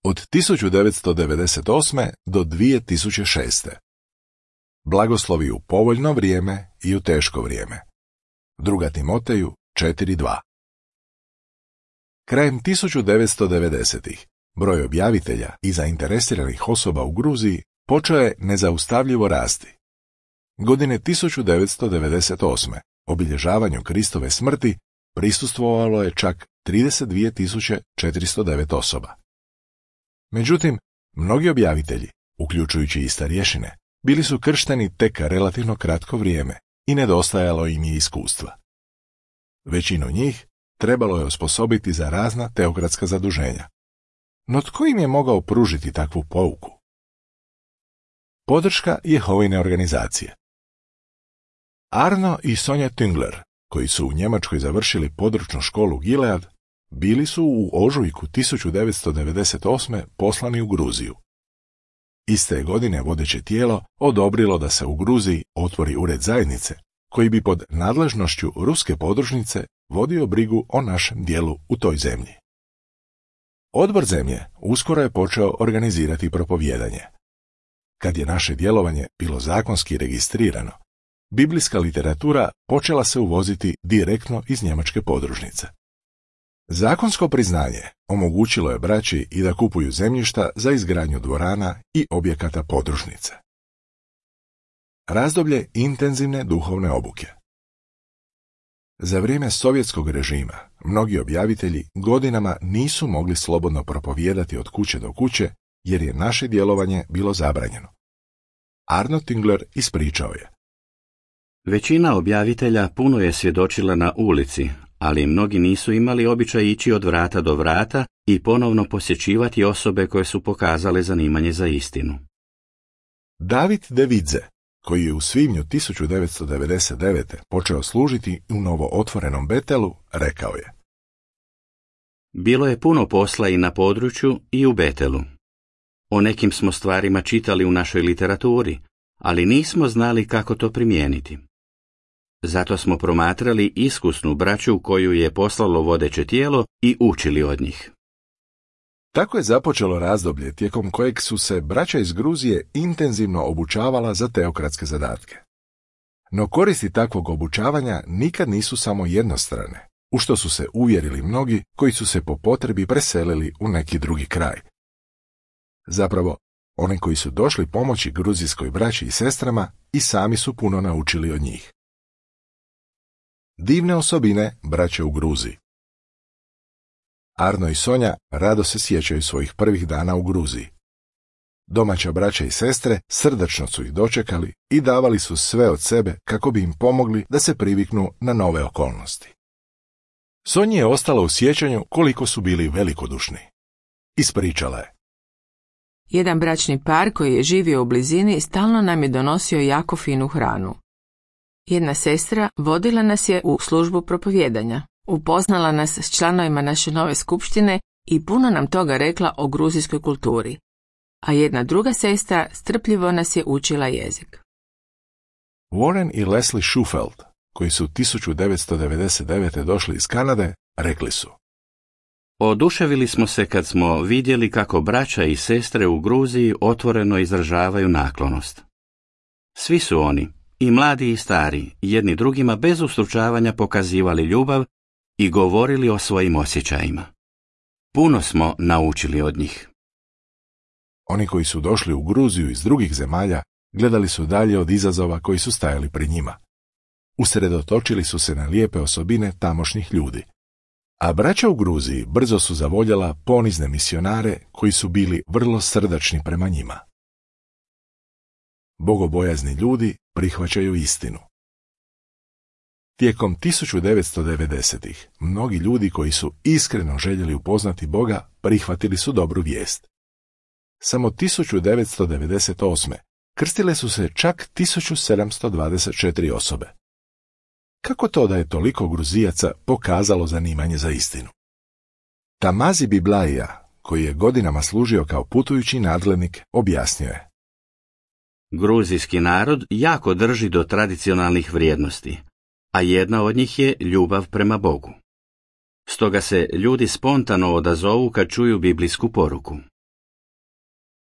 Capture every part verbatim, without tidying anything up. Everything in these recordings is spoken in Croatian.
od tisuću devetsto devedeset osme. do dvije tisuće šeste. Blagoslovi u povoljno vrijeme i u teško vrijeme. Druga Timoteju četiri dva. Krajem tisuću devetsto devedesetih. broj objavitelja i zainteresiranih osoba u Gruziji počeo je nezaustavljivo rasti. Godine tisuću devetsto devedeset osme. obilježavanju Kristove smrti prisustvovalo je čak trideset dvije tisuće četiristo devet osoba. Međutim, mnogi objavitelji, uključujući i starješine, bili su kršteni tek relativno kratko vrijeme i nedostajalo im je iskustva. Većinu njih trebalo je osposobiti za razna teokratska zaduženja. No tko im je mogao pružiti takvu pouku? Podrška Jehovine organizacije. Arno i Sonja Tüngler, koji su u Njemačkoj završili područnu školu Gilead, bili su u ožujku tisuću devetsto devedeset osme. poslani u Gruziju. Iste godine vodeće tijelo odobrilo da se u Gruziji otvori ured zajednice, koji bi pod nadležnošću ruske podružnice vodio brigu o našem dijelu u toj zemlji. Odbor zemlje uskoro je počeo organizirati propovijedanje. Kad je naše djelovanje bilo zakonski registrirano, biblijska literatura počela se uvoziti direktno iz njemačke podružnice. Zakonsko priznanje omogućilo je braći i da kupuju zemljišta za izgradnju dvorana i objekata podružnice. Razdoblje intenzivne duhovne obuke. Za vrijeme sovjetskog režima mnogi objavitelji godinama nisu mogli slobodno propovijedati od kuće do kuće jer je naše djelovanje bilo zabranjeno. Arno Tüngler ispričao je: Većina objavitelja puno je svjedočila na ulici, ali mnogi nisu imali običaj ići od vrata do vrata i ponovno posjećivati osobe koje su pokazale zanimanje za istinu. David de Vidze, koji je u svibnju tisuću devetsto devedeset devete. počeo služiti u novo otvorenom Betelu, rekao je: Bilo je puno posla i na području i u Betelu. O nekim smo stvarima čitali u našoj literaturi, ali nismo znali kako to primijeniti. Zato smo promatrali iskusnu braću koju je poslalo vodeće tijelo i učili od njih. Tako je započelo razdoblje tijekom kojeg su se braća iz Gruzije intenzivno obučavala za teokratske zadatke. No koristi takvog obučavanja nikad nisu samo jednostrane, u što su se uvjerili mnogi koji su se po potrebi preselili u neki drugi kraj. Zapravo, oni koji su došli pomoći gruzijskoj braći i sestrama i sami su puno naučili od njih. Divne osobine braće u Gruziji. Arno i Sonja rado se sjećaju svojih prvih dana u Gruziji. Domaća braća i sestre srdačno su ih dočekali i davali su sve od sebe kako bi im pomogli da se priviknu na nove okolnosti. Sonji je ostalo u sjećanju koliko su bili velikodušni. Ispričala je: Jedan bračni par koji je živio u blizini stalno nam je donosio jako finu hranu. Jedna sestra vodila nas je u službu propovijedanja, upoznala nas s članovima naše nove skupštine i puno nam toga rekla o gruzijskoj kulturi, a jedna druga sestra strpljivo nas je učila jezik. Warren i Leslie Shufeld, koji su tisuću devetsto devedeset devete. došli iz Kanade, rekli su: Oduševili smo se kad smo vidjeli kako braća i sestre u Gruziji otvoreno izražavaju naklonost. Svi su oni, i mladi i stari, jedni drugima bez ustručavanja pokazivali ljubav i govorili o svojim osjećajima. Puno smo naučili od njih. Oni koji su došli u Gruziju iz drugih zemalja gledali su dalje od izazova koji su stajali pred njima. Usredotočili su se na lijepe osobine tamošnjih ljudi. A braća u Gruziji brzo su zavoljela ponizne misionare koji su bili vrlo srdačni prema njima. Bogobojazni ljudi prihvaćaju istinu. Tijekom tisuću devetsto devedesetih. mnogi ljudi koji su iskreno željeli upoznati Boga prihvatili su dobru vijest. Samo tisuću devetsto devedeset osme. krstile su se čak tisuću sedamsto dvadeset četiri osobe. Kako to da je toliko Gruzijaca pokazalo zanimanje za istinu? Tamazi Biblaija, koji je godinama služio kao putujući nadglednik, objasnio je: Gruzijski narod jako drži do tradicionalnih vrijednosti, a jedna od njih je ljubav prema Bogu. Stoga se ljudi spontano odazovu kad čuju biblijsku poruku.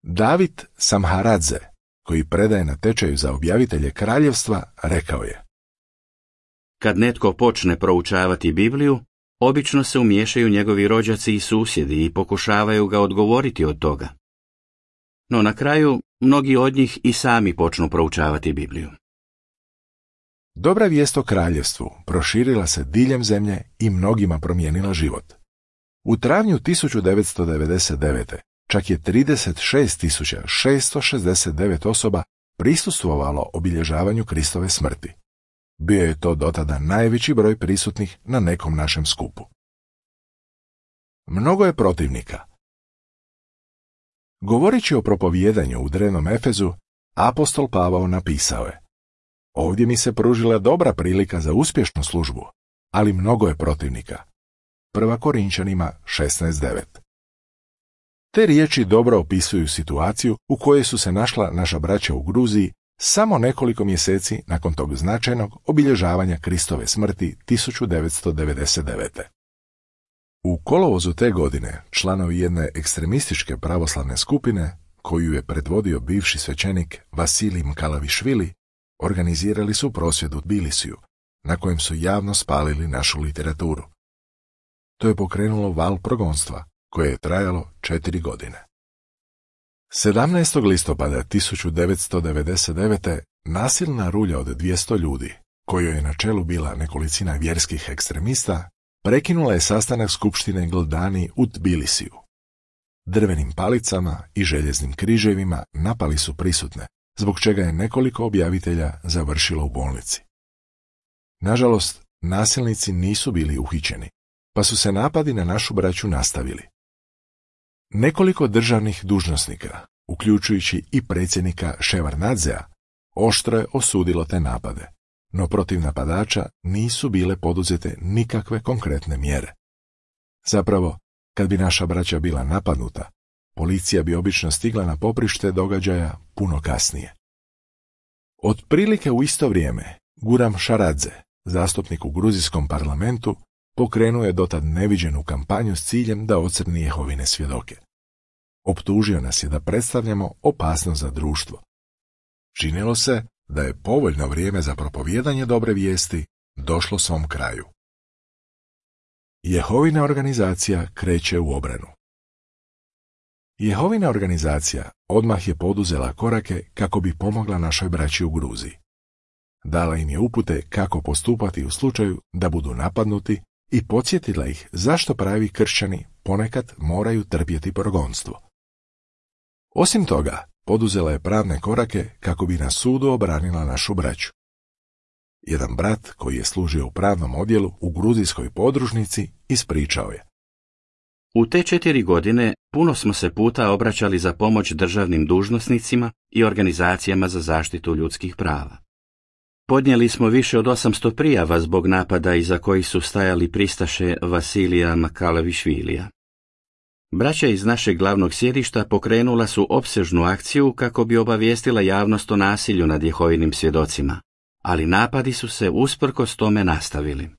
David Samharadze, koji predaje na tečaju za objavitelje kraljevstva, rekao je: Kad netko počne proučavati Bibliju, obično se umiješaju njegovi rođaci i susjedi i pokušavaju ga odgovoriti od toga. No na kraju, mnogi od njih i sami počnu proučavati Bibliju. Dobra vijest o kraljevstvu proširila se diljem zemlje i mnogima promijenila život. U travnju tisuću devetsto devedeset devete čak je trideset šest tisuća šesto šezdeset devet osoba prisustvovalo obilježavanju Kristove smrti. Bio je to dotada najveći broj prisutnih na nekom našem skupu. Mnogo je protivnika. Govoreći o propovijedanju u drevnom Efezu, apostol Pavao napisao je: Ovdje mi se pružila dobra prilika za uspješnu službu, ali mnogo je protivnika. Prva Korinčanima šesnaest devet. Te riječi dobro opisuju situaciju u kojoj su se našla naša braća u Gruziji samo nekoliko mjeseci nakon tog značajnog obilježavanja Kristove smrti tisuću devetsto devedeset devete. U kolovozu te godine članovi jedne ekstremističke pravoslavne skupine, koju je predvodio bivši svećenik Vasilij Mkalavišvili, organizirali su prosvjed u Tbilisiju, na kojem su javno spalili našu literaturu. To je pokrenulo val progonstva, koje je trajalo četiri godine. sedamnaestog listopada tisuću devetsto devedeset devete nasilna rulja od dvjesto ljudi, kojoj je na čelu bila nekolicina vjerskih ekstremista, prekinula je sastanak skupštine Gldani u Tbilisiju. Drvenim palicama i željeznim križevima napali su prisutne, zbog čega je nekoliko objavitelja završilo u bolnici. Nažalost, nasilnici nisu bili uhićeni, pa su se napadi na našu braću nastavili. Nekoliko državnih dužnosnika, uključujući i predsjednika Ševarnadzea, oštro je osudilo te napade, no protiv napadača nisu bile poduzete nikakve konkretne mjere. Zapravo, kad bi naša braća bila napadnuta, policija bi obično stigla na poprište događaja puno kasnije. Otprilike u isto vrijeme, Guram Šaradze, zastupnik u gruzijskom parlamentu, pokrenuo je dotad neviđenu kampanju s ciljem da ocrni Jehovine svjedoke. Optužio nas je da predstavljamo opasnost za društvo. Činilo se da je povoljno vrijeme za propovijedanje dobre vijesti došlo svom kraju. Jehovina organizacija kreće u obranu. Jehovina organizacija odmah je poduzela korake kako bi pomogla našoj braći u Gruziji. Dala im je upute kako postupati u slučaju da budu napadnuti i podsjetila ih zašto pravi kršćani ponekad moraju trpjeti progonstvo. Osim toga, poduzela je pravne korake kako bi na sudu obranila našu braću. Jedan brat koji je služio u pravnom odjelu u gruzijskoj podružnici ispričao je: U te četiri godine puno smo se puta obraćali za pomoć državnim dužnosnicima i organizacijama za zaštitu ljudskih prava. Podnijeli smo više od osamsto prijava zbog napada iza kojih su stajali pristaše Vasilija Mkalavišvilija. Braća iz našeg glavnog sjedišta pokrenula su opsežnu akciju kako bi obavijestila javnost o nasilju nad Jehovinim svjedocima, ali napadi su se usprkos tome nastavili.